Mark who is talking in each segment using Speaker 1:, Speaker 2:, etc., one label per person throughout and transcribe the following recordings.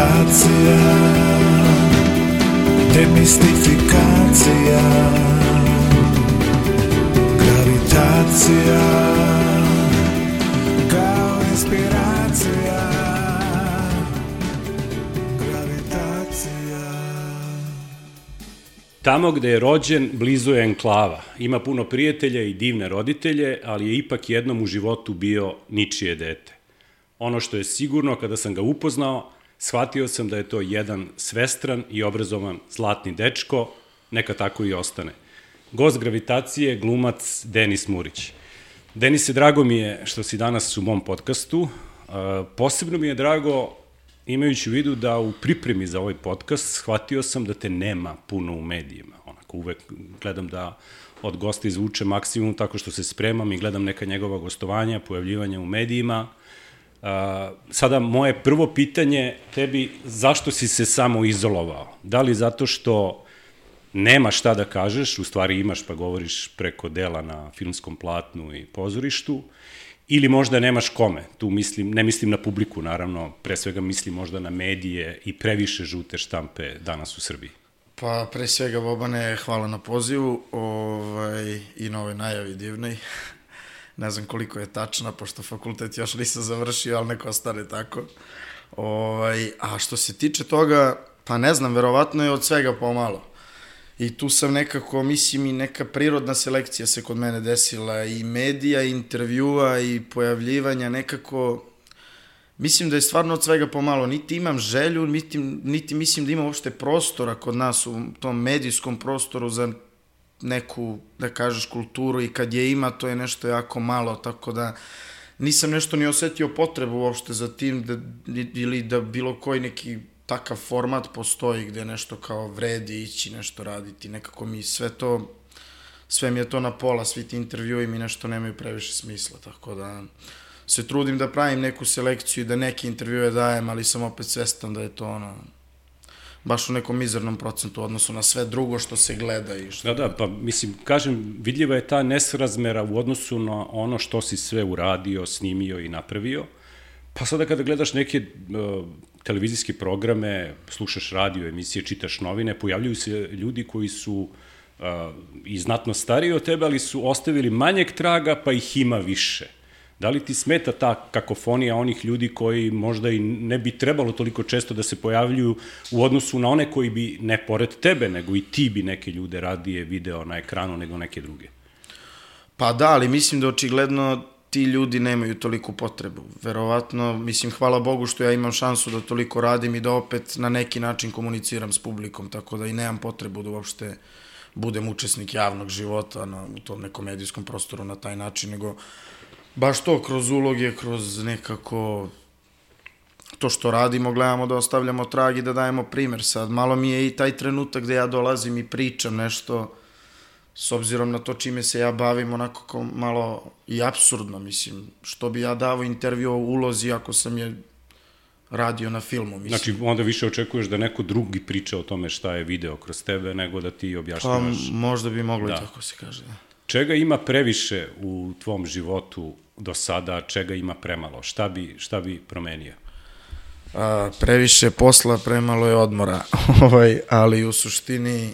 Speaker 1: Gravitacija, demistifikacija. Gravitacija, kao inspiracija. Gravitacija.
Speaker 2: Tamo gde je rođen, blizu je enklava. Ima puno prijatelja i divne roditelje, ali je ipak jednom u životu bio ničije dete. Ono što je sigurno, kada sam ga upoznao, shvatio sam da je to jedan svestran i obrazovan zlatni dečko, neka tako i ostane. Gost Gravitacije, glumac Denis Murić. Denise, drago mi je što si danas u mom podcastu. Posebno mi je drago, imajući u vidu da u pripremi za ovaj podcast shvatio sam da te nema puno u medijima. Onako, uvek gledam da od gosta izvuče maksimum tako što se spremam i gledam neka njegova gostovanja, pojavljivanja u medijima. Sada, moje prvo pitanje tebi, zašto si se samo izolovao? Da li zato što nema šta da kažeš, u stvari imaš pa govoriš preko dela na filmskom platnu i pozorištu, ili možda nemaš kome? Tu mislim, ne mislim na publiku, naravno, pre svega mislim možda na medije i previše žute štampe danas u Srbiji.
Speaker 3: Pa, pre svega, Bobane, hvala na pozivu i na ovoj najavi divnoj. Ne znam koliko je tačna, pošto fakultet još nisam završio, ali neko ostane tako. A što se tiče toga, pa ne znam, verovatno je od svega pomalo. I tu sam nekako, mislim, i neka prirodna selekcija se kod mene desila, i medija, i intervjua, i pojavljivanja, nekako, mislim da je stvarno od svega pomalo. Niti imam želju, niti mislim da ima uopšte prostora kod nas u tom medijskom prostoru za neku, da kažeš, kulturu, i kad je ima, to je nešto jako malo, tako da nisam nešto ni osetio potrebu uopšte za tim, ili da bilo koji neki takav format postoji gde nešto kao vredi ići, nešto raditi, nekako mi sve mi je to na pola, svi ti intervjui mi nešto nemaju previše smisla, tako da se trudim da pravim neku selekciju i da neke intervjue dajem, ali sam opet svestan da je to baš u nekom mizernom procentu u odnosu na sve drugo što se gleda i što...
Speaker 2: Da, pa mislim, kažem, vidljiva je ta nesrazmera u odnosu na ono što si sve uradio, snimio i napravio. Pa sada kada gledaš neke televizijske programe, slušaš radio emisije, čitaš novine, pojavljuju se ljudi koji su i znatno stariji od tebe, ali su ostavili manjeg traga, pa ih ima više. Da li ti smeta ta kakofonija onih ljudi koji možda i ne bi trebalo toliko često da se pojavljuju u odnosu na one koji bi, ne pored tebe, nego i ti bi neke ljude radije video na ekranu nego neke druge?
Speaker 3: Pa da, ali mislim da očigledno ti ljudi nemaju toliku potrebu. Verovatno, mislim, hvala Bogu što ja imam šansu da toliko radim i da opet na neki način komuniciram s publikom, tako da i nemam potrebu da uopšte budem učesnik javnog života u tom nekom medijskom prostoru na taj način, nego baš to, kroz uloge, kroz nekako to što radimo, gledamo da ostavljamo trag i da dajemo primer. Sad, malo mi je i taj trenutak gde ja dolazim i pričam nešto, s obzirom na to čime se ja bavim, onako malo i apsurdno, mislim, što bi ja davo intervju o ulozi ako sam je radio na filmu, mislim.
Speaker 2: Znači, onda više očekuješ da neko drugi priča o tome šta je video kroz tebe, nego da ti objašnjavaš.
Speaker 3: Pa, možda bi moglo i tako se kaže, da.
Speaker 2: Čega ima previše u tvom životu do sada, čega ima premalo? Šta bi promenio?
Speaker 3: Previše posla, premalo je odmora, ali u suštini,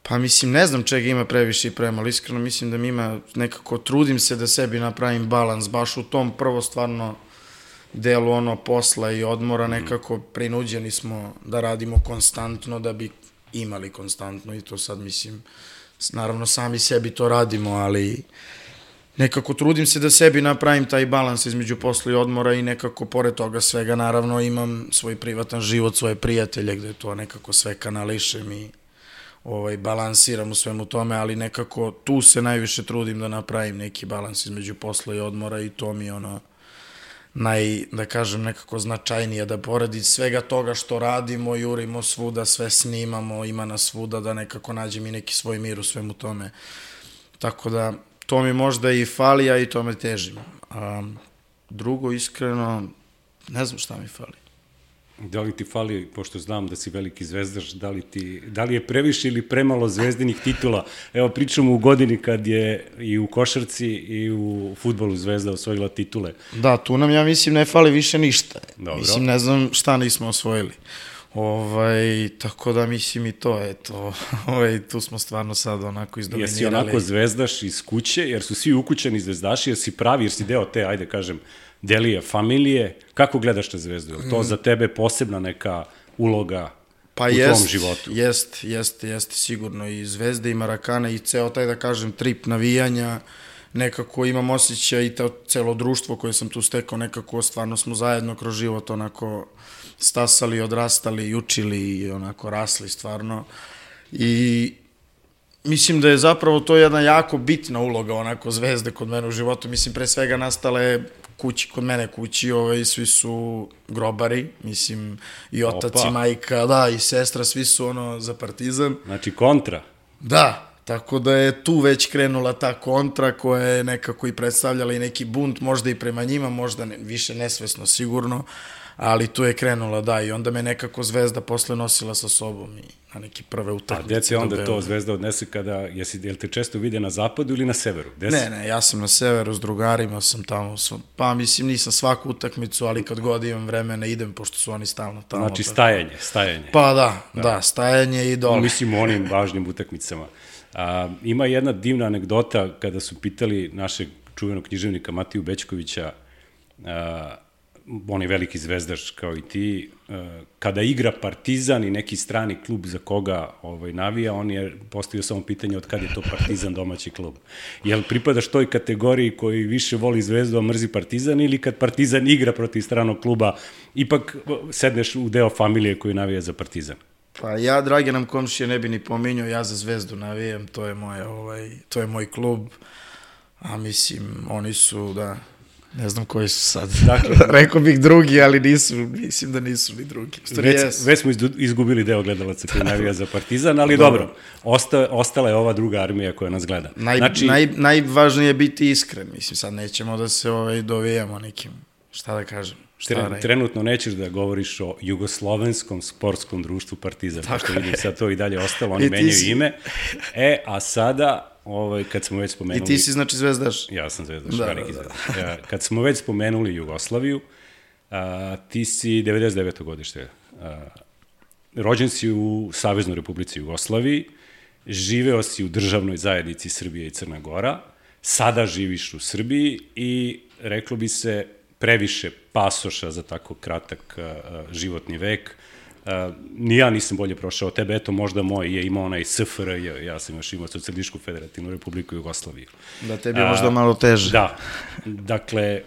Speaker 3: pa mislim, ne znam čega ima previše i premalo, iskreno mislim da mi ima nekako, trudim se da sebi napravim balans, baš u tom prvo stvarno delu posla i odmora, nekako prinuđeni smo da radimo konstantno, da bi imali konstantno, i to sad mislim, naravno sami sebi to radimo, ali nekako trudim se da sebi napravim taj balans između posla i odmora, i nekako pored toga svega naravno imam svoj privatan život, svoje prijatelje gde to nekako sve kanališem i balansiram u svemu tome, ali nekako tu se najviše trudim da napravim neki balans između posla i odmora, i to mi je da kažem, nekako značajnije, da pored svega toga što radimo, jurimo svuda, sve snimamo, ima nas svuda, da nekako nađem i neki svoj mir u svemu tome. Tako da, to mi možda i fali, a i tome težim. Drugo, iskreno, ne znam šta mi fali.
Speaker 2: Da li ti fali, pošto znam da si veliki zvezdaš, da li je previše ili premalo zvezdinih titula? Evo, pričamo u godini kad je i u košarci i u fudbalu Zvezda osvojila titule.
Speaker 3: Da, tu nam, ja mislim, ne fali više ništa.
Speaker 2: Dobro.
Speaker 3: Mislim, ne znam šta nismo osvojili. Tako da mislim i to, eto, tu smo stvarno sad onako izdominirali.
Speaker 2: Jesi onako zvezdaš iz kuće, jer su svi ukućeni zvezdaši, jer si pravi, jer si deo te, ajde kažem, delije familije. Kako gledaš na Zvezdu? Je to za tebe posebna neka uloga u tvom životu?
Speaker 3: Jeste, sigurno. I Zvezda i Marakana i ceo taj, da kažem, trip navijanja, nekako imam osjećaj i celo društvo koje sam tu stekao, nekako stvarno smo zajedno kroz život onako stasali, odrastali, učili i onako rasli stvarno. I mislim da je zapravo to jedna jako bitna uloga onako Zvezde kod mene u životu. Mislim, pre svega nastale kod mene kući, svi su grobari, mislim, i otac i majka, da, i sestra, svi su za Partizan.
Speaker 2: Znači kontra.
Speaker 3: Da, tako da je tu već krenula ta kontra koja je nekako i predstavljala i neki bunt, možda i prema njima, možda više nesvesno sigurno, ali tu je krenula, da, i onda me nekako Zvezda posle nosila sa sobom i na neke prve utakmice.
Speaker 2: A gde se onda to Zvezda odnese kada, jel te često vide na zapadu ili na severu?
Speaker 3: Ne, ja sam na severu s drugarima, sam tamo, pa mislim nisam svaku utakmicu, ali kad god imam vremena idem, pošto su oni stalno tamo.
Speaker 2: Znači stajanje.
Speaker 3: Pa da, stajanje i dole.
Speaker 2: Mislim o onim važnim utakmicama. Ima jedna divna anegdota kada su pitali našeg čuvenog književnika Matiju Bećkovića, on je veliki zvezdaš kao i ti, kada igra Partizan i neki strani klub za koga navija, on je postavio samo pitanje od kad je to Partizan domaći klub. Jel pripadaš toj kategoriji koji više voli Zvezdu, a mrzi Partizan, ili kad Partizan igra protiv stranog kluba, ipak sedneš u deo familije koji navija za Partizan?
Speaker 3: Pa ja, drage nam komšije, ne bi ni pominjao, ja za Zvezdu navijam, to je moj klub, a mislim, oni su, da, ne znam koji su sad. Dakle, rekao bih drugi, ali mislim da nisu ni drugi.
Speaker 2: Već smo izgubili deo gledalaca koji navija za Partizan, ali dobro, ostala je ova druga armija koja nas gleda.
Speaker 3: Najvažnije je biti iskren, mislim, sad nećemo da se dovijamo nekim, šta da kažem.
Speaker 2: Trenutno nećeš da govoriš o jugoslovenskom sportskom društvu Partizan, pošto vidim sad to i dalje ostalo, oni menjaju ime. A sada, kad smo već spomenuli...
Speaker 3: I ti si znači zvezdaš?
Speaker 2: Ja sam zvezdaš, veliki zvezdaš. Kad smo već spomenuli Jugoslaviju, ti si 99. godište. Rođen si u Saveznoj Republici Jugoslaviji, živeo si u državnoj zajednici Srbije i Crna Gora, sada živiš u Srbiji i reklo bi se previše pasoša za tako kratak životni vek. Ni ja nisam bolje prošao tebe, eto možda moj je imao onaj SFRJ, ja sam još imao Socijalističku federativnu republiku Jugoslaviju.
Speaker 3: Da, tebi je možda malo teže.
Speaker 2: Da, dakle,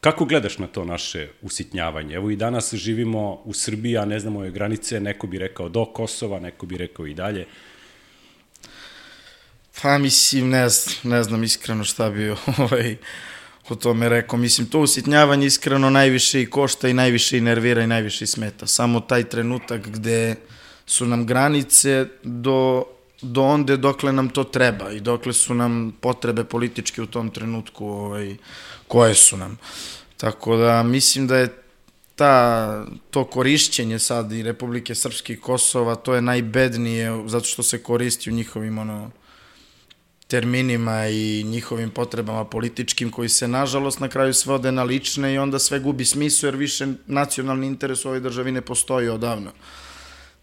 Speaker 2: kako gledaš na to naše usitnjavanje? Evo i danas živimo u Srbiji, a ne znamo je granice, neko bi rekao do Kosova, neko bi rekao i dalje.
Speaker 3: Pa mislim, ne znam iskreno šta bi o tome rekao. Mislim, to usitnjavanje iskreno najviše i košta i najviše i nervira i najviše i smeta. Samo taj trenutak gde su nam granice do onde dokle nam to treba i dokle su nam potrebe političke u tom trenutku koje su nam. Tako da mislim da je to korišćenje sad i Republike Srpske i Kosova, to je najbednije zato što se koristi u njihovim terminima i njihovim potrebama političkim koji se nažalost na kraju svode na lične i onda sve gubi smisao jer više nacionalni interes u ovoj državi ne postoji odavno.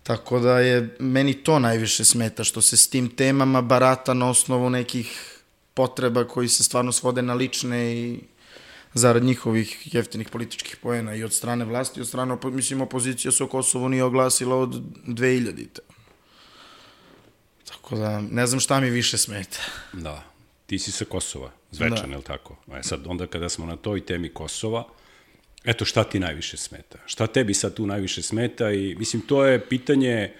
Speaker 3: Tako da je meni to najviše smeta što se s tim temama barata na osnovu nekih potreba koji se stvarno svode na lične i zarad njihovih jeftinih političkih poena i od strane vlasti i od strane, mislim, opozicija se o Kosovu nije oglasila od 2000-te. Tako da, ne znam šta mi više smeta.
Speaker 2: Da, ti si sa Kosova, zvečan, je li tako? Sad, onda kada smo na toj temi Kosova, eto šta ti najviše smeta? Šta tebi sad tu najviše smeta? I, mislim, to je pitanje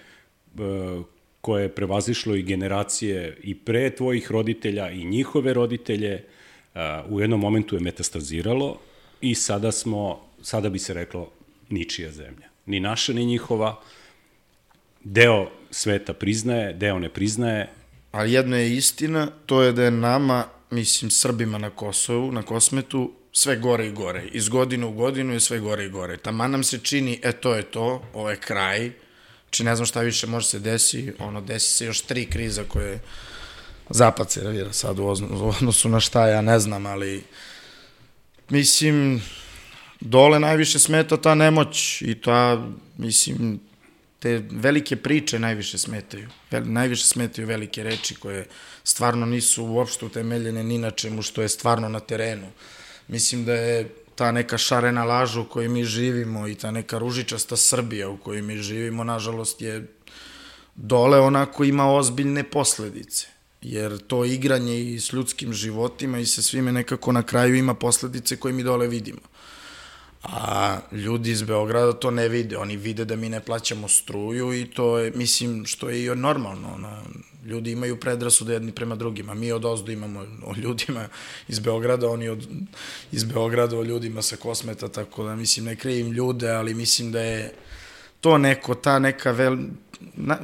Speaker 2: koje je prevazišlo i generacije i pre tvojih roditelja i njihove roditelje. U jednom momentu je metastaziralo i sada bi se reklo ničija zemlja. Ni naša, ni njihova. Deo sveta priznaje, deo ne priznaje.
Speaker 3: Ali jedno je istina, to je da je nama mislim, Srbima na Kosovu, na Kosmetu, sve gore i gore. Iz godine u godinu je sve gore i gore. Taman nam se čini, to je to, ovo je kraj. Znači, ne znam šta više može se desi, desi se još 3 kriza koje Zapad servira sad u odnosu na šta, ja ne znam, ali mislim, dole najviše smeta ta nemoć i ta, mislim, te velike priče najviše smetaju. Najviše smetaju velike reči koje stvarno nisu uopšte utemeljene ni na čemu što je stvarno na terenu. Mislim da je ta neka šarena laža u kojoj mi živimo i ta neka ružičasta Srbija u kojoj mi živimo, nažalost, je dole onako ima ozbiljne posledice. Jer to igranje i s ljudskim životima i sa svime nekako na kraju ima posledice koje mi dole vidimo. A ljudi iz Beograda to ne vide. Oni vide da mi ne plaćamo struju i to je, mislim, što je i normalno. Ljudi imaju predrasude jedni prema drugima. Mi od ozdo imamo o ljudima iz Beograda, oni iz Beograda o ljudima sa Kosmeta, tako da, mislim, ne krivim ljude, ali mislim da je to ta neka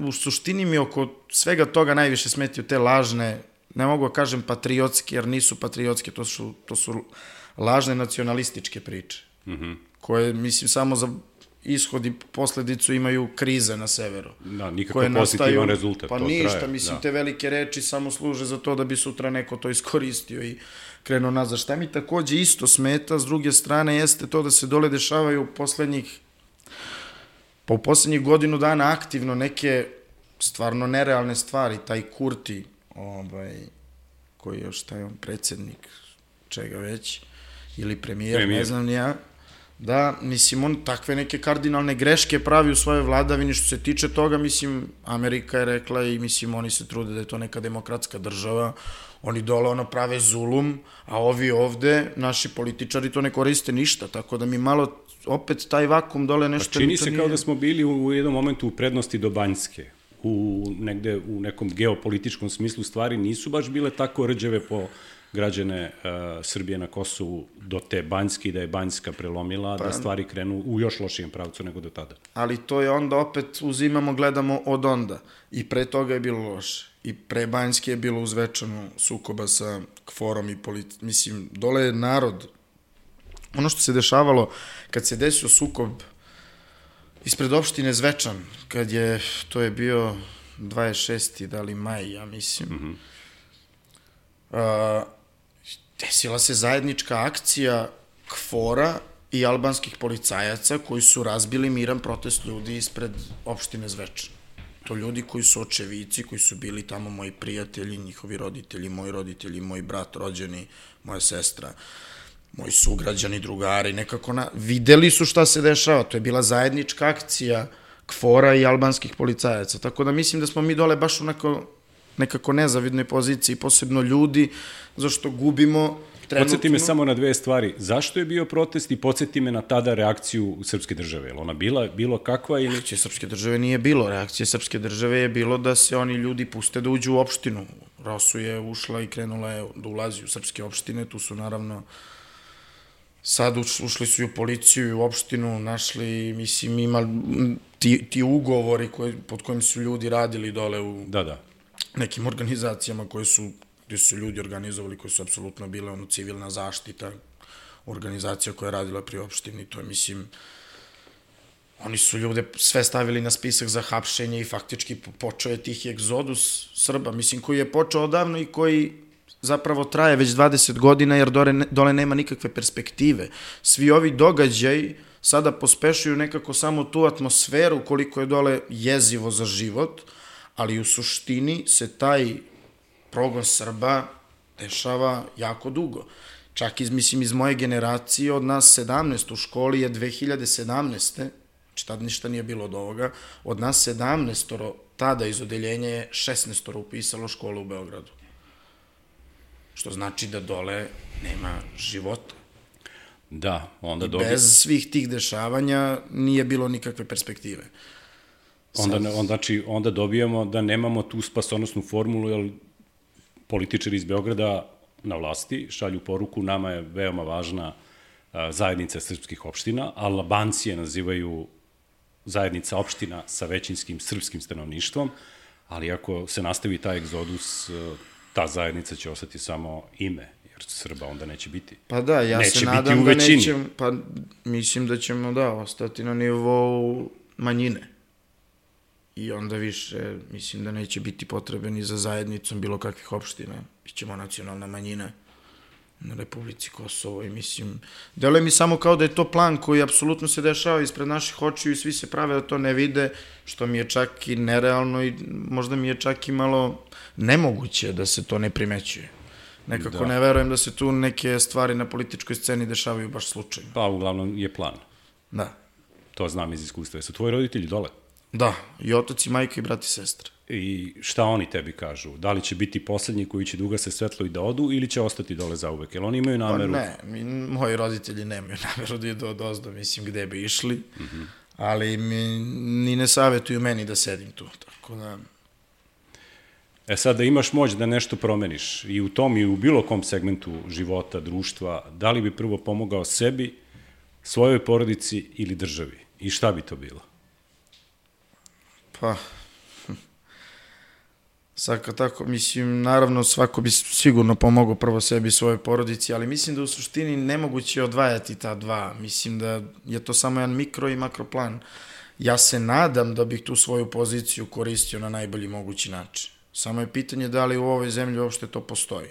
Speaker 3: u suštini mi oko svega toga najviše smetaju te lažne, ne mogu da kažem patriotske, jer nisu patriotske, to su lažne nacionalističke priče. Koje, mislim, samo za ishod i posledicu imaju krize na severu.
Speaker 2: Da, nikakav pozitivan rezultat.
Speaker 3: Pa ništa, mislim, te velike reči samo služe za to da bi sutra neko to iskoristio i krenuo nazad. Šta mi takođe isto smeta, s druge strane, jeste to da se dole dešavaju u poslednjih godinu dana aktivno neke stvarno nerealne stvari. Taj Kurti, koji je još taj predsjednik, čega već, ili premijer, ne znam ni ja, da, mislim, on takve neke kardinalne greške pravi u svojoj vladavini što se tiče toga, mislim, Amerika je rekla i, mislim, oni se trude da je to neka demokratska država, oni dole prave zulum, a ovi ovde, naši političari to ne koriste ništa, tako da mi malo opet taj vakum dole nešto...
Speaker 2: Pa čini se kao da smo bili u jednom momentu u prednosti do Banjske, negde u nekom geopolitičkom smislu stvari nisu baš bile tako rđave po građane Srbije na Kosovu do te Banjske i da je Banjska prelomila, da stvari krenu u još lošijem pravcu nego do tada.
Speaker 3: Ali to je onda opet uzimamo, gledamo od onda. I pre toga je bilo loše. I pre Banjske je bilo uzvečano sukoba sa KFOR-om i mislim, dole je narod. Ono što se dešavalo kad se desio sukob ispred opštine Zvečan, to je bio 26. da li maj, ja mislim, desila se zajednička akcija KFOR-a i albanskih policajaca koji su razbili miran protest ljudi ispred opštine Zvečan. To ljudi koji su očevici, koji su bili tamo moji prijatelji, njihovi roditelji, moj brat rođeni, moja sestra, moji sugrađani, drugari, nekako videli su šta se dešava. To je bila zajednička akcija KFOR-a i albanskih policajaca. Tako da mislim da smo mi dole baš u nekako nezavidnoj poziciji, posebno ljudi, zašto gubimo trenutno...
Speaker 2: Podsjeti me samo na 2 stvari. Zašto je bio protest i podsjeti me na tada reakciju srpske države? Je li ona bilo kakva ili...
Speaker 3: Reakcije srpske države nije bilo. Reakcije srpske države je bilo da se oni ljudi puste da uđu u opštinu. Rosu je ušla i krenula je da ulazi u srpske opštine. Tu su naravno... Sad ušli su i u policiju i u opštinu, našli, mislim, ima ti ugovori pod kojim su ljudi radili dole u...
Speaker 2: Da.
Speaker 3: Nekim organizacijama gde su ljudi organizovali, koje su apsolutno bile civilna zaštita, organizacija koja je radila pri opštini, to je, mislim, oni su ljude sve stavili na spisak za hapšenje i faktički počeo je tih egzodus Srba, mislim, koji je počeo odavno i koji zapravo traje već 20 godina, jer dole nema nikakve perspektive. Svi ovi događaji sada pospešuju nekako samo tu atmosferu koliko je dole jezivo za život, ali u suštini se taj progon Srba dešava jako dugo. Čak iz moje generacije, od nas 17 u školi je 2017. Znači tad ništa nije bilo od ovoga, od nas 17 tada iz odeljenja je 16 upisalo školu u Beogradu. Što znači da dole nema života.
Speaker 2: Da, onda
Speaker 3: I bez svih tih dešavanja nije bilo nikakve perspektive.
Speaker 2: Onda dobijamo da nemamo tu spasonosnu formulu, jer političari iz Beograda na vlasti šalju poruku, nama je veoma važna zajednica srpskih opština, a Albanci je nazivaju zajednica opština sa većinskim srpskim stanovništvom, ali ako se nastavi taj egzodus, ta zajednica će ostati samo ime, jer Srba onda neće biti.
Speaker 3: Pa da, ja
Speaker 2: Neće
Speaker 3: se
Speaker 2: biti
Speaker 3: nadam
Speaker 2: u
Speaker 3: da
Speaker 2: većini.
Speaker 3: nećemo, pa mislim da ćemo, da, ostati na nivou manjine. I onda više, mislim da neće biti potrebe ni za zajednicom bilo kakvih opština. Bićemo nacionalna manjina na Republici Kosovo i mislim, deluje mi samo kao da je to plan koji apsolutno se dešava ispred naših očiju i svi se prave da to ne vide, što mi je čak i nerealno i možda mi je čak i malo nemoguće da se to ne primećuje. Nekako ne verujem da se tu neke stvari na političkoj sceni dešavaju baš slučajno.
Speaker 2: Pa uglavnom je plan.
Speaker 3: Da.
Speaker 2: To znam iz iskustva. Su tvoji roditelji dole?
Speaker 3: Da, i otac i majka i brat i sestra.
Speaker 2: I šta oni tebi kažu? Da li će biti poslednji koji će da ugase svetlo i da odu ili će ostati dole zauvek? Jer oni imaju nameru...
Speaker 3: Pa ne, moji roditelji nemaju nameru da idu od ozdo, mislim gde bi išli, ali ni ne savjetuju meni da sedim tu, tako da...
Speaker 2: E sad, da imaš moć da nešto promeniš i u tom i u bilo kom segmentu života, društva, da li bi prvo pomogao sebi, svojoj porodici ili državi? I šta bi to bilo?
Speaker 3: Pa, sad kad tako, mislim, naravno svako bi sigurno pomogao prvo sebi i svojoj porodici, ali mislim da u suštini nemoguće odvajati ta dva. Mislim da je to samo jedan mikro i makro plan. Ja se nadam da bih tu svoju poziciju koristio na najbolji mogući način. Samo je pitanje da li u ovoj zemlji uopšte to postoji.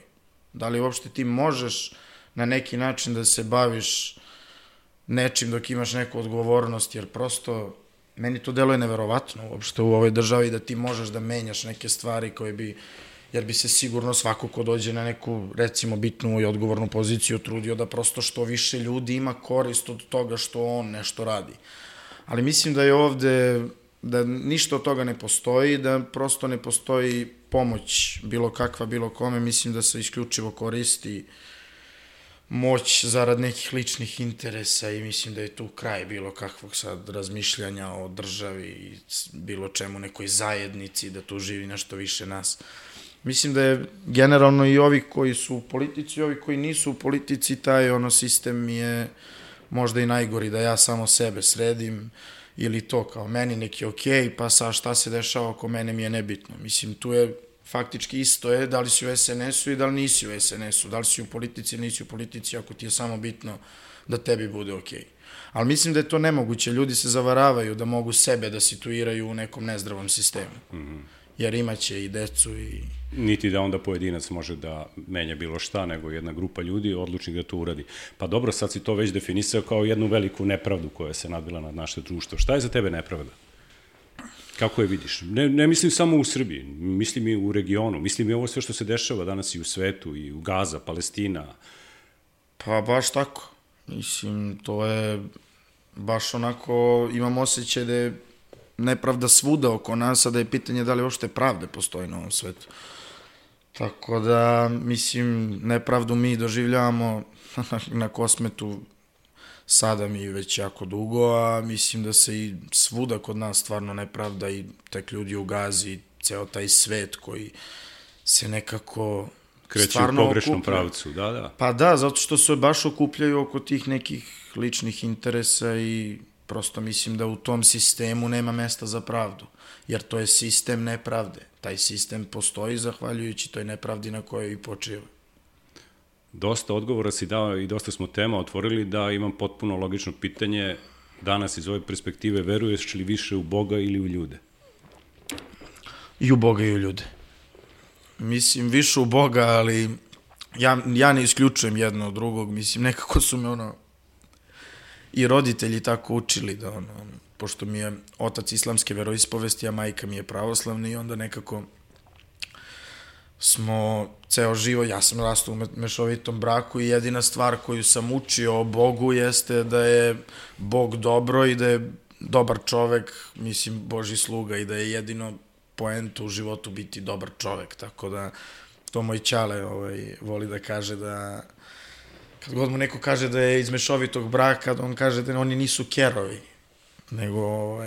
Speaker 3: Da li uopšte ti možeš na neki način da se baviš nečim dok imaš neku odgovornost, jer prosto meni to deluje neverovatno uopšte u ovoj državi da ti možeš da menjaš neke stvari koje bi, jer bi se sigurno svako ko dođe na neku, recimo, bitnu i odgovornu poziciju trudio da prosto što više ljudi ima korist od toga što on nešto radi. Ali mislim da je ovde, da ništa od toga ne postoji, da prosto ne postoji pomoć bilo kakva, bilo kome, mislim da se isključivo koristi moć zarad nekih ličnih interesa i mislim da je tu kraj bilo kakvog sad razmišljanja o državi i bilo čemu, nekoj zajednici, da tu živi nešto više nas. Mislim da je generalno i ovi koji su u politici i ovi koji nisu u politici, taj sistem je možda i najgori, da ja samo sebe sredim ili to kao meni neki okej, pa sa šta se dešava oko mene mi je nebitno. Mislim, tu je faktički isto je da li si u SNS-u i da li nisi u SNS-u, da li si u politici ili nisi u politici, ako ti je samo bitno da tebi bude okej. Ali mislim da je to nemoguće, ljudi se zavaravaju da mogu sebe da situiraju u nekom nezdravom sistemu, jer imaće i decu i...
Speaker 2: Niti da onda pojedinac može da menja bilo šta, nego jedna grupa ljudi odlučni da to uradi. Pa dobro, sad si to već definisao kao jednu veliku nepravdu koja se nadvila nad naše društvo. Šta je za tebe nepravda? Kako je vidiš? Ne mislim samo u Srbiji, mislim i u regionu, mislim i ovo sve što se dešava danas i u svetu, i u Gaza, Palestina.
Speaker 3: Pa baš tako. Mislim, to je baš onako, imam osjećaj da je nepravda svuda oko nas, a da je pitanje da li uopšte pravde postoji na ovom svetu. Tako da, mislim, nepravdu mi doživljavamo na Kosmetu sada mi već jako dugo, a mislim da se i svuda kod nas stvarno nepravda i tek ljudi u Gazi, ceo taj svet koji se nekako
Speaker 2: kreće u pogrešnom pravcu, da.
Speaker 3: Pa da, zato što se baš okupljaju oko tih nekih ličnih interesa i prosto mislim da u tom sistemu nema mesta za pravdu, jer to je sistem nepravde. Taj sistem postoji zahvaljujući toj nepravdi na kojoj i počiva.
Speaker 2: Dosta odgovora si dao i dosta smo tema otvorili, da imam potpuno logično pitanje danas iz ove perspektive, veruješ li više u Boga ili u ljude?
Speaker 3: I u Boga i u ljude. Mislim, više u Boga, ali ja ne isključujem jedno od drugog, mislim, nekako su me i roditelji tako učili da pošto mi je otac islamske veroispovesti, a majka mi je pravoslavna i onda nekako smo ceo živo, ja sam rastao u mešovitom braku i jedina stvar koju sam učio o Bogu jeste da je Bog dobro i da je dobar čovek, mislim, Božji sluga i da je jedino poenta u životu biti dobar čovek, tako da to moj ćale voli da kaže da kad god mu neko kaže da je iz mešovitog braka, on kaže da oni nisu kerovi, nego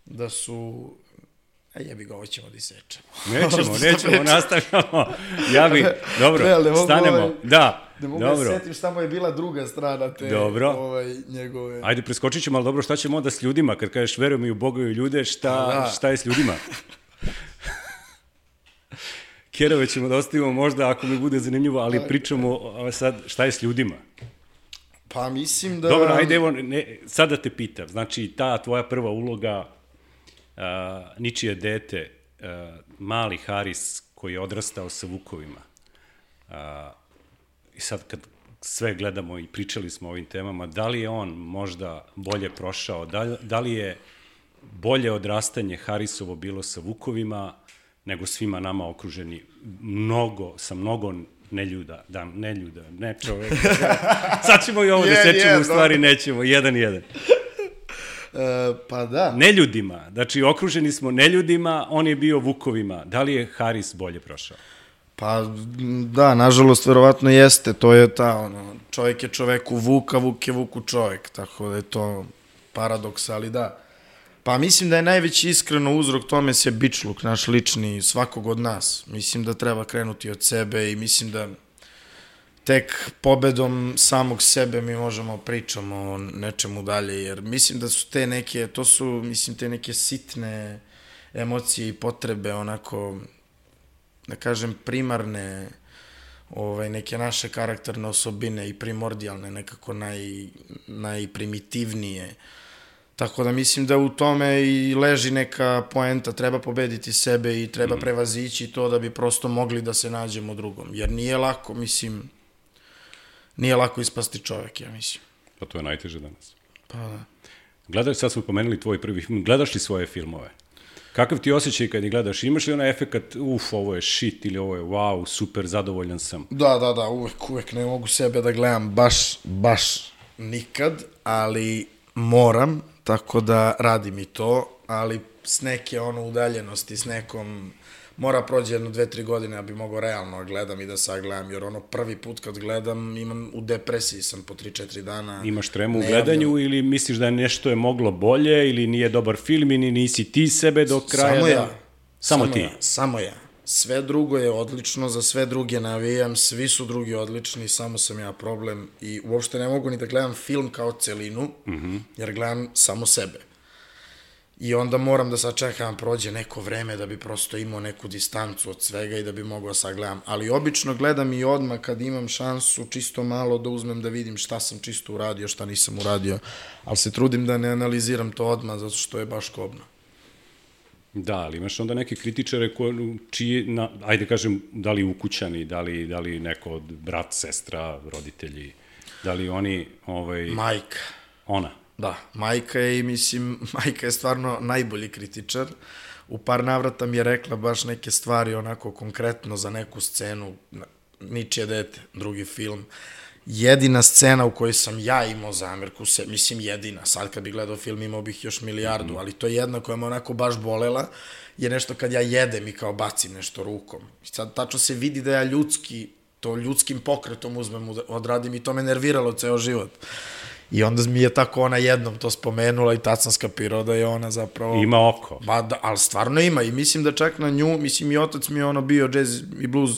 Speaker 3: da su... A jebi ga, ovo ćemo da isečemo.
Speaker 2: Nećemo, nastavljamo. Ja bi, dobro, stanemo. Da,
Speaker 3: ne mogu
Speaker 2: dobro.
Speaker 3: Da setim šta mu je bila druga strana te njegove...
Speaker 2: Ajde, preskočit ćemo, ali dobro, šta ćemo onda s ljudima? Kad kažeš verujem i u Boga i u ljude, šta je s ljudima? Kerove ćemo da ostavimo možda ako mi bude zanimljivo, ali pričamo sad šta je s ljudima.
Speaker 3: Pa mislim da...
Speaker 2: Dobro, ajde, evo, sad da te pitam. Znači, ta tvoja prva uloga, ničije dete, mali Haris koji je odrastao sa vukovima. I sad kad sve gledamo i pričali smo o ovim temama, da li je on možda bolje prošao, da li je bolje odrastanje Harisovo bilo sa vukovima nego svima nama okruženi sa mnogo neljuda, ne čoveka. Sad ćemo i ovo da sečemo, u stvari nećemo, 1-1.
Speaker 3: Pa da.
Speaker 2: Neljudima, znači okruženi smo neljudima, on je bio vukovima. Da li je Haris bolje prošao?
Speaker 3: Pa da, nažalost, verovatno jeste. To je ta, čovjek je čoveku vuk, a vuk je vuku čovjek. Tako da je to paradoks, ali da. Pa mislim da je najveći iskreno uzrok tome sebičluk, naš lični, svakog od nas. Mislim da treba krenuti od sebe i mislim da tek pobedom samog sebe mi možemo pričamo o nečemu dalje, jer mislim da su te neke, te neke sitne emocije i potrebe, onako, da kažem, primarne, neke naše karakterne osobine i primordijalne, nekako najprimitivnije. Tako da mislim da u tome i leži neka poenta, treba pobediti sebe i treba prevazići to da bi prosto mogli da se nađemo drugom. Jer nije lako, nije lako ispasti čovek, ja mislim.
Speaker 2: Pa to je najteže danas.
Speaker 3: Pa da.
Speaker 2: Gledaš, sad smo pomenuli tvoj prvi film, gledaš li svoje filmove? Kakav ti osjećaj kad ih gledaš? Imaš li onaj efekat, ovo je shit ili ovo je wow, super, zadovoljan sam?
Speaker 3: Da, uvek ne mogu sebe da gledam baš nikad, ali moram, tako da radim i to, ali s neke udaljenosti, s nekom, mora prođe 1-2-3 godine da bi mogao realno gledam i da sagledam, jer prvi put kad gledam u depresiji sam po 3-4 dana. Imaš
Speaker 2: tremu u gledanju ili misliš da nešto je moglo bolje ili nije dobar film ili nisi ti sebe do kraja?
Speaker 3: Samo ja. Sve drugo je odlično, za sve druge navijam, svi su drugi odlični, samo sam ja problem i uopšte ne mogu ni da gledam film kao celinu, jer gledam samo sebe. I onda moram da sačekam prođe neko vreme da bi prosto imao neku distancu od svega i da bi mogao sagledam. Ali obično gledam i odmah kad imam šansu čisto malo da uzmem da vidim šta sam čisto uradio, šta nisam uradio, ali se trudim da ne analiziram to odmah zato što je baš kobno.
Speaker 2: Da, ali imaš onda neke kritičare čiji, ajde kažem, da li ukućani, da li neko od brat, sestra, roditelji, da li oni...
Speaker 3: Majka.
Speaker 2: Ona?
Speaker 3: Da, majka je i mislim, majka je stvarno najbolji kritičar. U par navrata mi je rekla baš neke stvari onako konkretno za neku scenu, Ničije dete, drugi film. Jedina scena u kojoj sam ja imao zamerku, mislim jedina, sad kad bih gledao film imao bih još milijardu, ali to je jedna koja me onako baš bolela, je nešto kad ja jedem i kao bacim nešto rukom. Sad tačno se vidi da ja ljudskim pokretom uzmem, odradim i to me nerviralo ceo život. I onda mi je tako ona jednom to spomenula i tad sam skapirao da je ona zapravo...
Speaker 2: Ima oko.
Speaker 3: Ali stvarno ima i mislim da čak na nju, mislim i otac mi je bio jazz i blues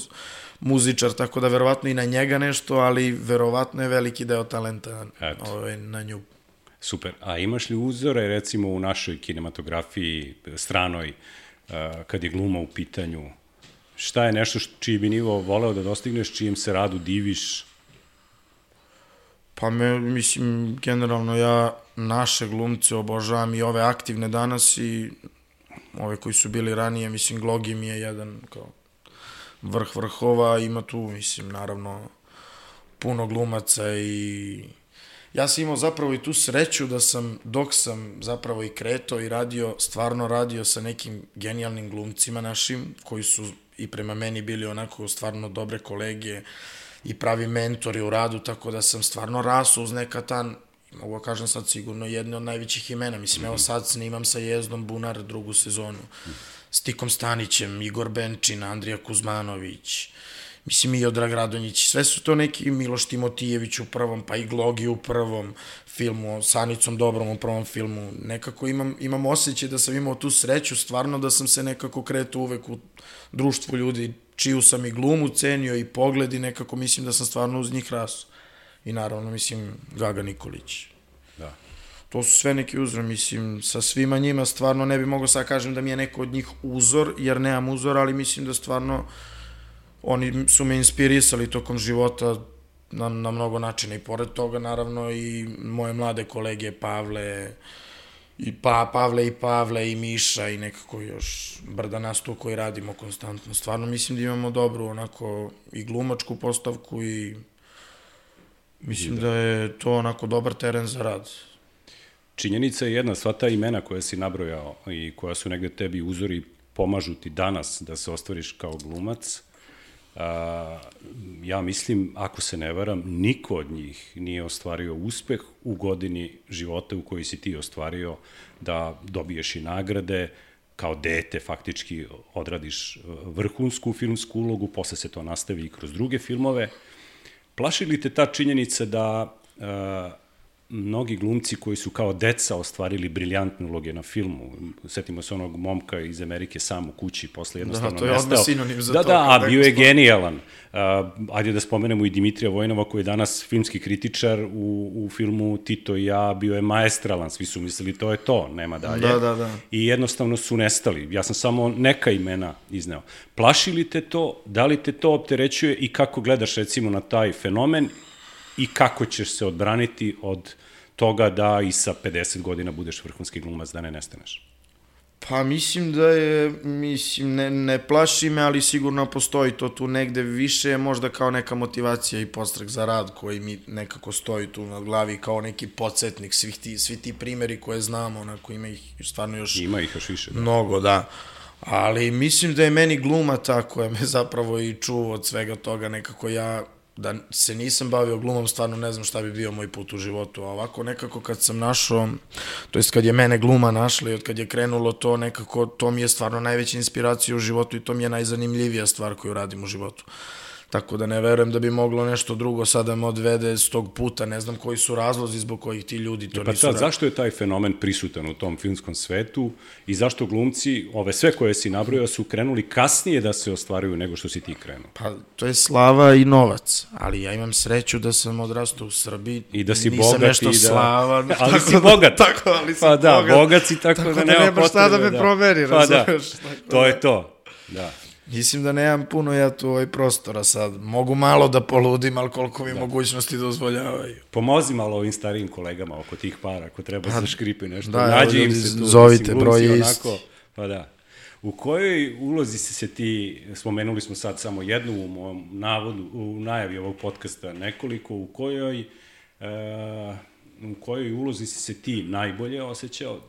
Speaker 3: muzičar, tako da verovatno i na njega nešto, ali verovatno je veliki deo talenta na nju.
Speaker 2: Super. A imaš li uzore, recimo, u našoj kinematografiji stranoj, kad je gluma u pitanju? Šta je nešto čiji bi nivo voleo da dostigneš, čijem se radu diviš?
Speaker 3: Pa mislim, generalno ja naše glumce obožavam i ove aktivne danas i ove koji su bili ranije, mislim, Glogi mi je jedan kao vrh vrhova, ima tu, mislim, naravno, puno glumaca i ja sam imao zapravo i tu sreću da sam, dok sam zapravo i kretao i stvarno radio sa nekim genijalnim glumcima našim, koji su i prema meni bili onako stvarno dobre kolege i pravi mentori u radu, tako da sam stvarno rasao uz neka mogu kažem sad sigurno jedne od najvećih imena, mislim, evo sad snimam sa Jezdom Bunar drugu sezonu, s Tikom Stanićem, Igor Benčin, Andrija Kuzmanović, mislim i Odrag Radonjić, sve su to neki Miloš Timotijević u prvom, pa i Glogi u prvom filmu, Sanicom Dobrom u prvom filmu, nekako imam osjećaj da sam imao tu sreću, stvarno da sam se nekako kretao uvek u društvu ljudi čiju sam i glumu cenio i pogled i nekako mislim da sam stvarno uz njih rasao. I naravno, mislim, Gaga Nikolić.
Speaker 2: Da.
Speaker 3: To su sve neki uzor, mislim, sa svima njima stvarno ne bi mogao sad kažem da mi je neko od njih uzor, jer nemam uzor, ali mislim da stvarno oni su me inspirisali tokom života na mnogo načina i pored toga naravno i moje mlade kolege Pavle i Miša i nekako još brda nas tu koji radimo konstantno. Stvarno mislim da imamo dobru onako i glumačku postavku i mislim da je to onako dobar teren za rad.
Speaker 2: Činjenica je jedna, sva ta imena koja si nabrojao i koja su negde tebi uzori pomažu ti danas da se ostvariš kao glumac. Ja mislim, ako se ne varam, niko od njih nije ostvario uspeh u godini života u kojoj si ti ostvario da dobiješ i nagrade, kao dete faktički odradiš vrhunsku filmsku ulogu, posle se to nastavi i kroz druge filmove. Plaši li te ta činjenica da mnogi glumci koji su kao deca ostvarili briljantne uloge na filmu, setimo se onog momka iz Amerike sam u kući, posle jednostavno nestao.
Speaker 3: Da, to je odmah sinonim za to.
Speaker 2: Da, bio je genijalan. Ajde da spomenemo i Dimitrija Vojnova koji je danas filmski kritičar u filmu Tito i ja, bio je maestralan, svi su mislili to je to, nema dalje.
Speaker 3: Da.
Speaker 2: I jednostavno su nestali. Ja sam samo neka imena izneo. Plaši li te to, da li te to opterećuje i kako gledaš recimo na taj fenomen i kako ćeš se odbraniti od toga da i sa 50 godina budeš vrhunski glumac, da ne nestaneš?
Speaker 3: Pa mislim da je, ne plaši me, ali sigurno postoji to tu negde više, možda kao neka motivacija i podstrek za rad koji mi nekako stoji tu nad glavi kao neki podsjetnik, svi ti primeri koje znamo, onako ima ih stvarno još...
Speaker 2: Ima ih još više, da.
Speaker 3: Mnogo, da. Ali mislim da je meni gluma ta koja me zapravo i čuva od svega toga, nekako ja... Da se nisam bavio glumom, stvarno ne znam šta bi bio moj put u životu, a ovako nekako kad sam našao, to jest kad je mene gluma našla i od kad je krenulo to nekako, to mi je stvarno najveća inspiracija u životu i to mi je najzanimljivija stvar koju radim u životu. Tako da ne verujem da bi moglo nešto drugo sada me odvede s tog puta, ne znam koji su razlozi zbog kojih ti ljudi to nisu radili.
Speaker 2: Zašto je taj fenomen prisutan u tom filmskom svetu i zašto glumci, ove sve koje si nabrojao, su krenuli kasnije da se ostvaruju nego što si ti krenuo?
Speaker 3: Pa to je slava i novac, ali ja imam sreću da sam odrastao u Srbiji
Speaker 2: i da si
Speaker 3: nisam
Speaker 2: bogat
Speaker 3: nešto slavan.
Speaker 2: Ali si bogat.
Speaker 3: Tako, ali si
Speaker 2: bogat. Pa da, bogat si
Speaker 3: tako da nema potrebe. Šta da me promeri, razumeš?
Speaker 2: To je to, da.
Speaker 3: Mislim da nemam puno ja tu prostora sad. Mogu malo da poludim, ali koliko mi mogućnosti dozvoljavaju.
Speaker 2: Pomozi malo ovim starijim kolegama oko tih para, ako treba se škripi nešto.
Speaker 3: Da,
Speaker 2: nađi im se tu.
Speaker 3: Zovite, broj je isti.
Speaker 2: Pa da. U kojoj ulozi se ti, spomenuli smo sad samo jednu u mom navodu, u najavi ovog podcasta nekoliko, u kojoj ulozi si se ti najbolje osjećao,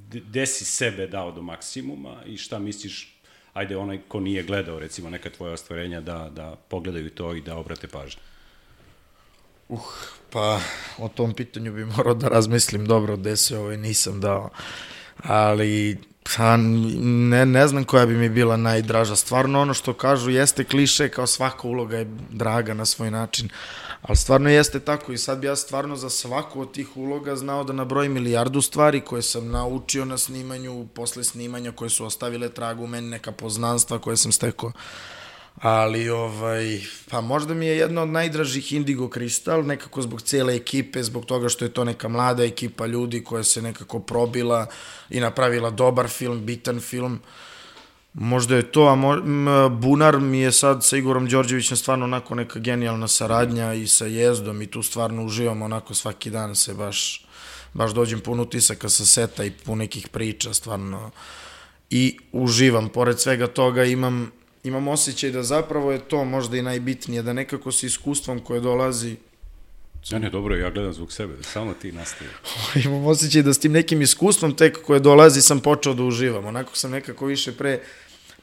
Speaker 2: gde si sebe dao do maksimuma i šta misliš, ajde onaj ko nije gledao recimo neka tvoja ostvarenja da pogledaju to i da obrate pažnju?
Speaker 3: Pa o tom pitanju bi morao da razmislim dobro, gde se nisam dao, ali ne znam koja bi mi bila najdraža. Stvarno ono što kažu jeste kliše, kao svaka uloga je draga na svoj način, ali stvarno jeste tako i sad bi ja stvarno za svaku od tih uloga znao da nabrojim milijardu stvari koje sam naučio na snimanju, posle snimanja koje su ostavile tragu u meni, neka poznanstva koje sam stekao. Ali, pa možda mi je jedna od najdražih Indigo Kristal, nekako zbog cele ekipe, zbog toga što je to neka mlada ekipa ljudi koja se nekako probila i napravila dobar film, bitan film. Možda je to, a Bunar mi je sad sa Igorom Đorđevićem stvarno onako neka genijalna saradnja i sa Jezdom i tu stvarno uživam onako svaki dan se baš dođem pun utisaka sa seta i pun nekih priča stvarno i uživam. Pored svega toga imam osjećaj da zapravo je to možda i najbitnije, da nekako sa iskustvom koje dolazi...
Speaker 2: Ne, dobro, ja gledam zbog sebe, da samo ti nastavi.
Speaker 3: Imam osjećaj da s tim nekim iskustvom tek koje dolazi sam počeo da uživam. Onako sam nekako više pre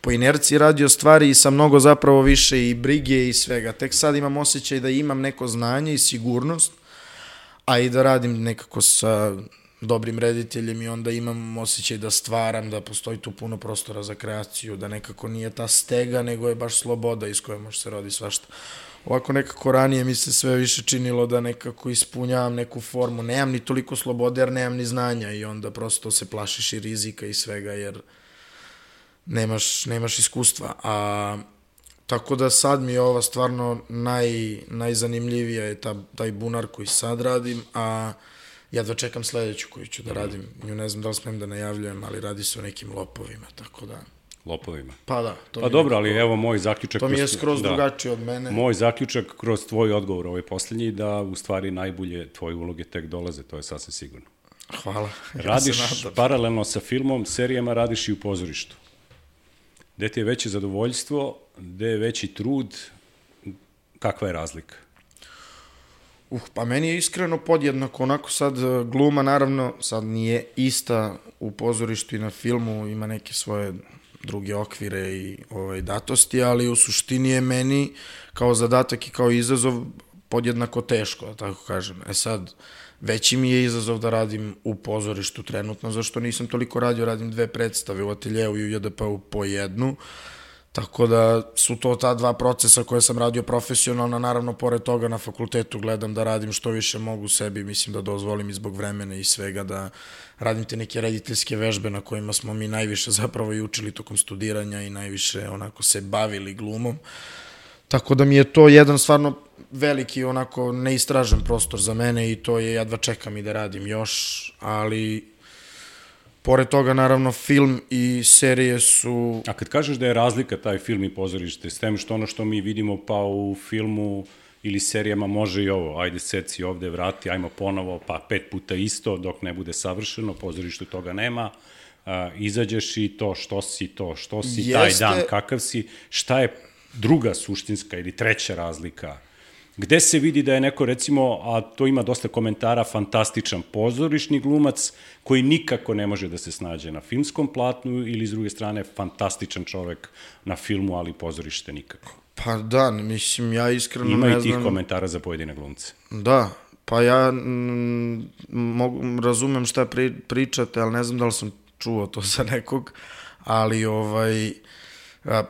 Speaker 3: po inerciji radio stvari i sa mnogo zapravo više i brige i svega. Tek sad imam osjećaj da imam neko znanje i sigurnost, a i da radim nekako sa dobrim rediteljem i onda imam osjećaj da stvaram, da postoji tu puno prostora za kreaciju, da nekako nije ta stega, nego je baš sloboda iz koje može se rodi svašta. Ovako nekako ranije mi se sve više činilo da nekako ispunjavam neku formu, nemam ni toliko slobode jer nemam ni znanja i onda prosto se plašiš i rizika i svega jer nemaš iskustva. Tako da sad mi je ova stvarno najzanimljivija je taj Bunar koji sad radim, a jedva čekam sledeću koju ću da radim. Nju ne znam da li smem da najavljujem, ali radi se o nekim lopovima, tako da...
Speaker 2: lopovima.
Speaker 3: Pa da.
Speaker 2: Pa dobro, ali evo moj zaključak...
Speaker 3: To mi je skroz drugačije od mene.
Speaker 2: Moj zaključak kroz tvoj odgovor, ovaj poslednji, da u stvari najbolje tvoje uloge tek dolaze, to je sasvim sigurno.
Speaker 3: Hvala.
Speaker 2: Radiš paralelno sa filmom, serijama, radiš i u pozorištu. Gde ti je veće zadovoljstvo, gde je veći trud, kakva je razlika?
Speaker 3: Pa meni je iskreno podjednako, onako sad gluma naravno sad nije ista u pozorištu i na filmu, ima neke svoje druge okvire i datosti, ali u suštini je meni kao zadatak i kao izazov podjednako teško, da tako kažem. Sad, veći mi je izazov da radim u pozorištu trenutno, zašto nisam toliko radio, radim 2 predstave u ateljeu i u JDP-u po jednu, tako da su to ta 2 procesa koje sam radio profesionalno, naravno pored toga na fakultetu gledam da radim što više mogu sebi, mislim da dozvolim i zbog vremena i svega da radim te neke rediteljske vežbe na kojima smo mi najviše zapravo i učili tokom studiranja i najviše onako se bavili glumom. Tako da mi je to jedan stvarno veliki onako neistražen prostor za mene i to je jedva čekam i da radim još, ali pored toga naravno film i serije su...
Speaker 2: A kad kažeš da je razlika taj film i pozorište, s tem što ono što mi vidimo pa u filmu ili serijama može i ovo, ajde seci ovde, vrati, ajmo ponovo, pa 5 puta isto dok ne bude savršeno, pozorištu toga nema, izađeš i to, što si taj dan, kakav si, šta je druga suštinska ili treća razlika? Gde se vidi da je neko, recimo, a to ima dosta komentara, fantastičan pozorišni glumac koji nikako ne može da se snađe na filmskom platnu ili, s druge strane, fantastičan čovek na filmu, ali pozorište nikako?
Speaker 3: Pa da, mislim, ja iskreno ne znam...
Speaker 2: Ima i tih komentara za pojedine glumce.
Speaker 3: Da, pa ja razumem šta pričate, ali ne znam da li sam čuo to za nekog, ali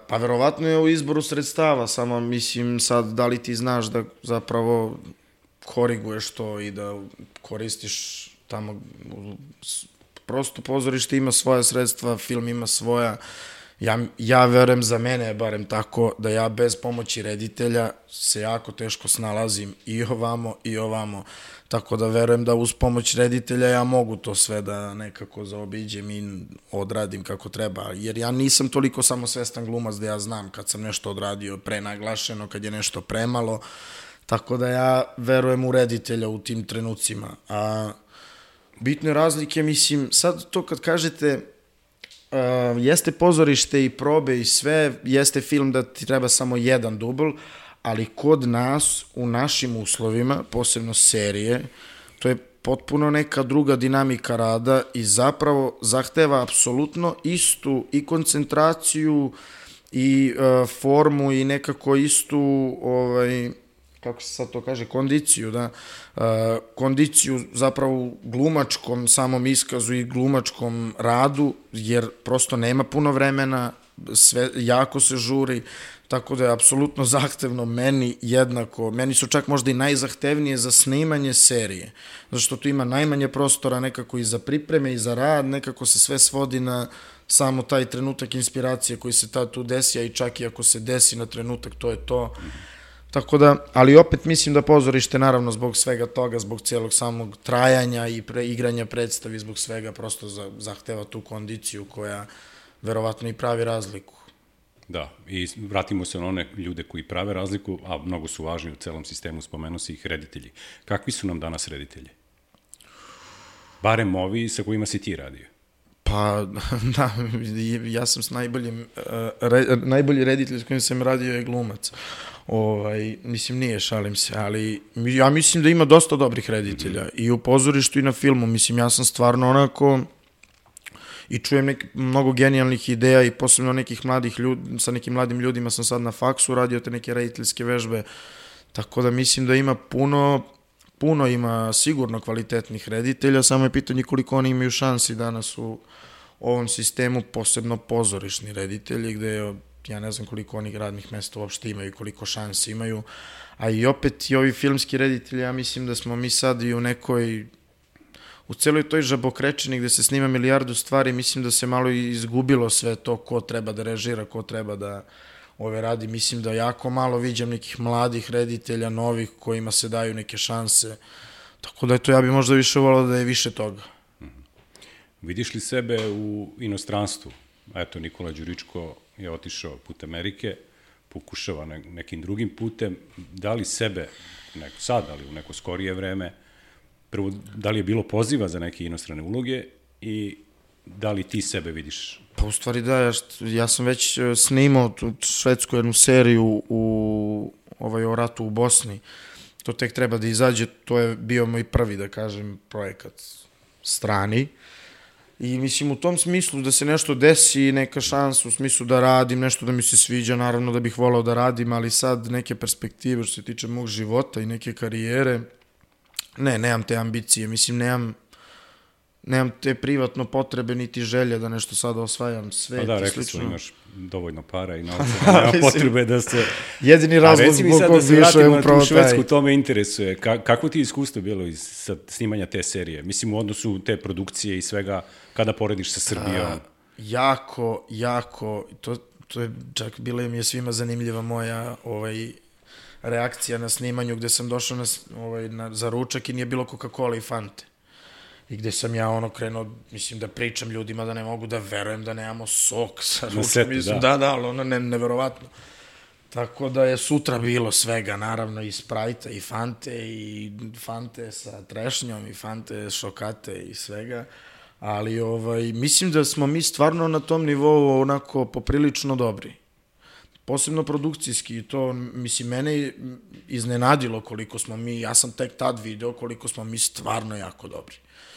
Speaker 3: pa verovatno je u izboru sredstava, samo mislim sad da li ti znaš da zapravo koriguješ to i da koristiš tamo, prosto pozorište ima svoja sredstva, film ima svoja, ja verujem za mene, barem tako, da ja bez pomoći reditelja se jako teško snalazim i ovamo, tako da verujem da uz pomoć reditelja ja mogu to sve da nekako zaobiđem i odradim kako treba, jer ja nisam toliko samosvestan glumac da ja znam kad sam nešto odradio prenaglašeno, kad je nešto premalo, tako da ja verujem u reditelja u tim trenucima, a bitne razlike, mislim, sad to kad kažete jeste pozorište i probe i sve, jeste film da ti treba samo jedan dubl, ali kod nas, u našim uslovima, posebno serije, to je potpuno neka druga dinamika rada i zapravo zahteva apsolutno istu i koncentraciju i formu i nekako istu, kako se sad to kaže, kondiciju, da, kondiciju zapravo u glumačkom samom iskazu i glumačkom radu, jer prosto nema puno vremena, sve jako se žuri, tako da je apsolutno zahtevno meni jednako, meni su čak možda i najzahtevnije za snimanje serije, zato što tu ima najmanje prostora nekako i za pripreme i za rad, nekako se sve svodi na samo taj trenutak inspiracije koji se tad tu desi, a i čak i ako se desi na trenutak, to je to. Tako da, ali opet mislim da pozorište, naravno, zbog svega toga, zbog cijelog samog trajanja i igranja predstavi, zbog svega, prosto zahteva tu kondiciju koja verovatno i pravi razliku.
Speaker 2: Da, i vratimo se na one ljude koji prave razliku, a mnogo su važni u celom sistemu, spomenu se ih reditelji. Kakvi su nam danas reditelji? Barem ovi sa kojima si ti radio.
Speaker 3: Pa, da, ja sam s najbolji reditelj s kojim sam radio je glumac. Mislim, nije, šalim se, ali ja mislim da ima dosta dobrih reditelja i u pozorištu i na filmu. Mislim, ja sam stvarno onako i čujem mnogo genijalnih ideja i posebno nekih mladih ljudi, sa nekim mladim ljudima sam sad na faksu radio te neke rediteljske vežbe, tako da mislim da ima puno ima sigurno kvalitetnih reditelja, samo je pitanje koliko oni imaju šansi danas u ovom sistemu, posebno pozorišni reditelji, gde ja ne znam koliko onih radnih mesta uopšte imaju i koliko šansi imaju, a i opet i ovi filmski reditelji, ja mislim da smo mi sad i u celoj toj žabokrečini gde se snima milijardu stvari, mislim da se malo izgubilo sve to ko treba da režira, ko treba da radi. Mislim da jako malo viđam nekih mladih reditelja, novih, kojima se daju neke šanse. Tako da ja bih možda više volao da je više toga.
Speaker 2: Vidiš li sebe u inostranstvu? eto, Nikola Đuričko je otišao put Amerike, pokušava nekim drugim putem. Da li sebe, sad, ali u neko skorije vreme, prvo, da li je bilo poziva za neke inostrane uloge i da li ti sebe vidiš?
Speaker 3: Pa u stvari da, ja sam već snimao tu švedsku jednu seriju o ratu u Bosni. To tek treba da izađe, to je bio moj prvi, da kažem, projekat strani. I mislim u tom smislu da se nešto desi, neka šansa u smislu da radim, nešto da mi se sviđa, naravno da bih volao da radim, ali sad neke perspektive što se tiče mog života i neke karijere, nemam te ambicije, mislim nemam te privatno potrebe niti želje da nešto sada osvajam svet.
Speaker 2: Pa da, rekli smo, imaš dovoljno para i novca, nema potrebe da se...
Speaker 3: Jedini razlog zbog kog bi išao je upravo taj. A reci mi sad da se vratimo na tu Švedsku, to me interesuje. Kako ti iskustvo bilo iz snimanja te serije? Mislim, u odnosu te produkcije i svega, kada porediš sa Srbijom? Jako, to je čak bila mi je svima zanimljiva moja reakcija na snimanju, gde sam došao za ručak i nije bilo Coca-Cola i Fante. I gde sam ja krenuo, mislim, da pričam ljudima da ne mogu da verujem da nemamo sok sa ručkom. Mislim, da, ali neverovatno. Tako da je sutra bilo svega, naravno, i Sprajta, i Fante sa trešnjom, i Fante šokate i svega. Ali, mislim da smo mi stvarno na tom nivou onako poprilično dobri. Posebno produkcijski, to, mislim, mene iznenadilo koliko smo mi, ja sam tek tad video koliko smo mi stvarno jako dobri.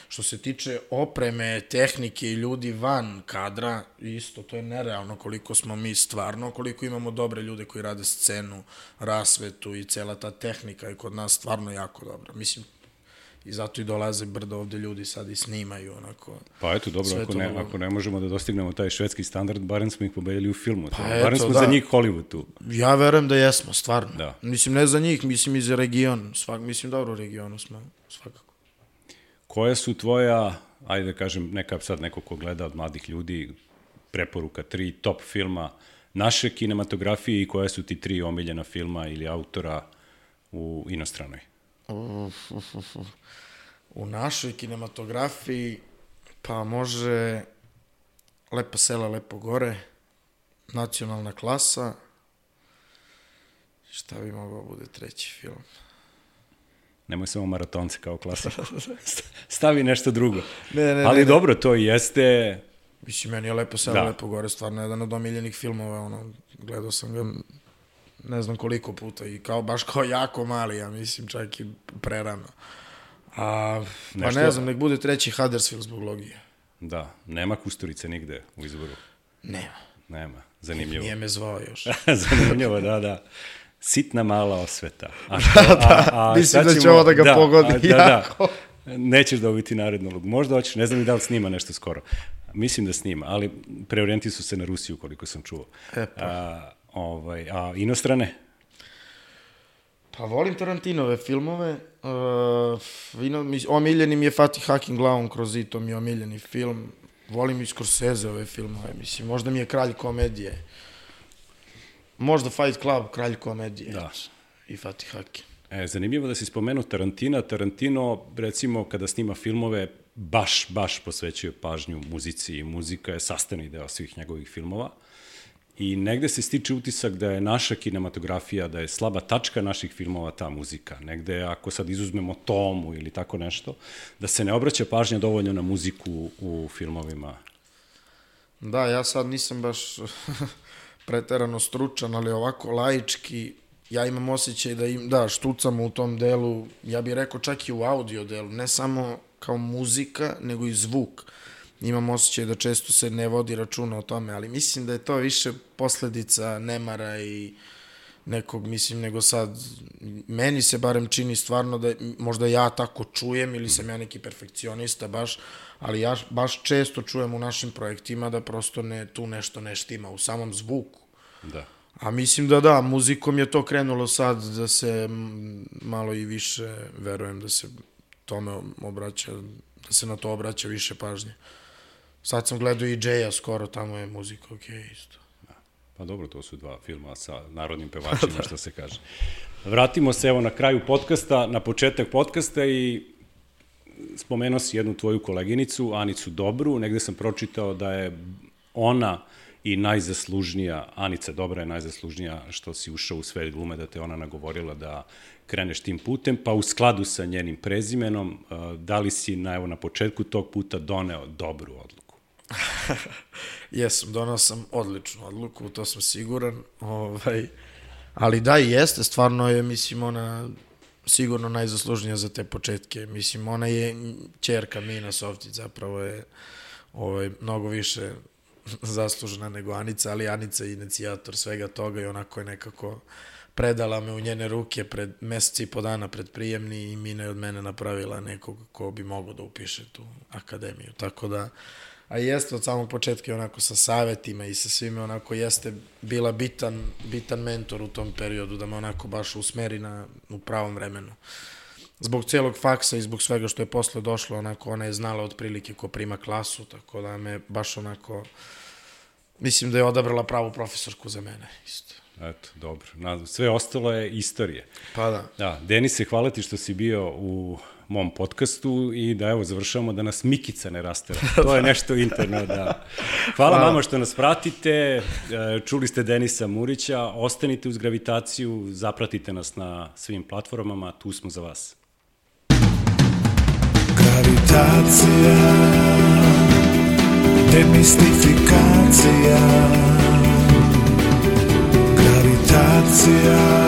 Speaker 3: Što se tiče opreme, tehnike i ljudi van kadra, isto, to je nerealno koliko smo mi stvarno, koliko imamo dobre ljude koji rade scenu, rasvetu i cela ta tehnika je kod nas stvarno jako dobra. Mislim, i zato i dolaze brdo ovde ljudi sad i snimaju, onako.
Speaker 2: Pa eto, dobro, ako ne možemo da dostignemo taj švedski standard, barem smo ih pobedili u filmu. Barem smo za njih Hollywood tu.
Speaker 3: Ja verujem da jesmo, stvarno. Mislim, ne za njih, mislim i za region. Mislim, dobro u regionu smo, svakako.
Speaker 2: Koja su tvoja, ajde da kažem, neko ko gleda od mladih ljudi, preporuka 3 top filma naše kinematografije i koja su ti 3 omiljena filma ili autora u inostranoj?
Speaker 3: U našoj kinematografiji, pa može Lepa sela, lepo gore, Nacionalna klasa, šta bi mogao bude 3. film?
Speaker 2: Nemoj samo Maratonce kao klasik. Stavi nešto drugo. Ali dobro, to jeste...
Speaker 3: Mislim, meni je Lepo sela, lepo gore stvarno jedan od omiljenih filmova, gledao sam ga ne znam koliko puta i baš kao jako mali, ja mislim, čak i prerano. Pa ne znam, nek bude 3. Huddersfield zbog logije.
Speaker 2: Da, nema Kusturice nigde u izboru. Nema, zanimljivo.
Speaker 3: Nije me zvao još.
Speaker 2: Zanimljivo, da. Sitna mala osveta.
Speaker 3: Mislim da će ovo da ga pogodi jako.
Speaker 2: Nećeš dobiti narednu ulogu. Možda hoćeš, ne znam i da li snima nešto skoro. Mislim da snima, ali preorijenti su se na Rusiju, koliko sam čuo. A inostrane?
Speaker 3: Pa volim Tarantinove filmove. Omiljeni mi je Fatih Akin glavom kroz zid, to mi je omiljeni film. Volim i Scorseseove filmove, mislim, možda mi je kralj komedije. Možda Fight Club, kralj komedije.
Speaker 2: Da.
Speaker 3: I Fatih Akin.
Speaker 2: Zanimljivo da si spomenuo Tarantina. Tarantino, recimo, kada snima filmove, baš posvećuje pažnju muzici i muzika je sastavni deo svih njegovih filmova. I negde se stiče utisak da je naša kinematografija, da je slaba tačka naših filmova ta muzika. Negde, ako sad izuzmemo Tomu ili tako nešto, da se ne obraća pažnja dovoljno na muziku u filmovima.
Speaker 3: Da, ja sad nisam baš preterano stručan, ali ovako laički, ja imam osjećaj da štucamo u tom delu, ja bih rekao čak i u audio delu, ne samo kao muzika, nego i zvuk. Imam osjećaj da često se ne vodi računa o tome, ali mislim da je to više posledica nemara i nekog, mislim, nego sad, meni se barem čini stvarno da možda ja tako čujem ili sam ja neki perfekcionista baš, ali ja baš često čujem u našim projektima da prosto tu nešto ne štima u samom zvuku.
Speaker 2: Da.
Speaker 3: A mislim da, muzikom je to krenulo sad da se malo i više, verujem da se tome obraća, da se na to obraća više pažnje. Sad sam gledao i Jay-a skoro, tamo je muzika isto.
Speaker 2: Pa dobro, to su 2 filma sa narodnim pevačima, što se kaže. Vratimo se evo na kraju podcasta, na početak podcasta i spomenuo si jednu tvoju koleginicu, Anicu Dobru, negde sam pročitao da je ona i najzaslužnija, Anica Dobra je najzaslužnija što si ušao u svet glume, da te ona nagovorila da kreneš tim putem, pa u skladu sa njenim prezimenom, da li si na početku tog puta doneo dobru odluku?
Speaker 3: Jesam, donao sam odličnu odluku, to sam siguran, ali da i jeste, stvarno je, mislim, ona sigurno najzaslužnija za te početke, mislim, ona je ćerka Mina Softić, zapravo je mnogo više zaslužena nego Anica, ali Anica je inicijator svega toga i onako je nekako predala me u njene ruke pred meseci i po dana pred prijemni i Mina je od mene napravila nekog ko bi mogao da upiše tu akademiju, tako da, a jeste od samog početka onako sa savetima i sa svime onako jeste bila bitan mentor u tom periodu da me onako baš usmeri u pravom vremenu. Zbog celog faksa i zbog svega što je posle došlo, onako ona je znala otprilike ko prima klasu, tako da me baš onako, mislim da je odabrala pravu profesorku za mene isto.
Speaker 2: Eto, dobro. Sve ostalo je istorija.
Speaker 3: Pa da.
Speaker 2: Da, Denise, hvala ti što si bio u mom podcastu i da evo završavamo da nas Mikica ne rastera. To je nešto interno, da. Hvala vama što nas pratite, čuli ste Denisa Murića, ostanite uz Gravitaciju, zapratite nas na svim platformama, tu smo za vas.
Speaker 1: Gravitacija, demistifikacija, gravitacija.